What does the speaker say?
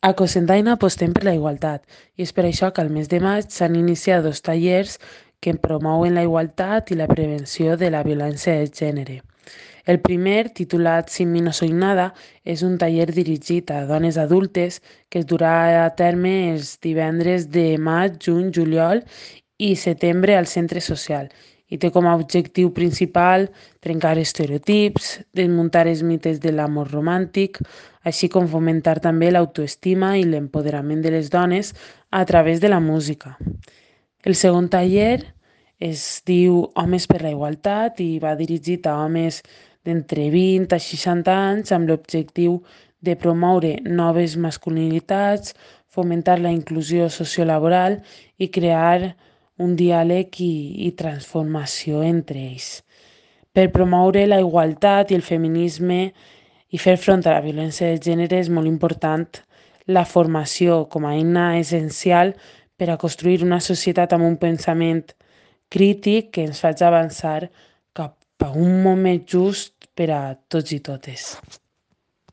A Cocentaina apostem per la igualtat i és per això que al mes de maig s'han iniciat 2 tallers que promouen la igualtat i la prevenció de la violència de gènere. El primer, titulat Sin mi no soy nada, és un taller dirigit a dones adultes que es durà a terme els divendres de maig, juny, juliol i setembre al centre social i té com a objectiu principal trencar estereotips, desmuntar els mites de l'amor romàntic, així com fomentar també l'autoestima i l'empoderament de les dones a través de la música. El segon taller es diu Homes per la Igualtat i va dirigit a homes d'entre 20 a 60 anys amb l'objectiu de promoure noves masculinitats, fomentar la inclusió sociolaboral i crear un diàleg i transformació entre ells. Per promoure la igualtat i el feminisme i fer front a la violència de gènere és molt important la formació com a eina essencial per a construir una societat amb un pensament crític que ens faci avançar cap a un moment just per a tots i totes.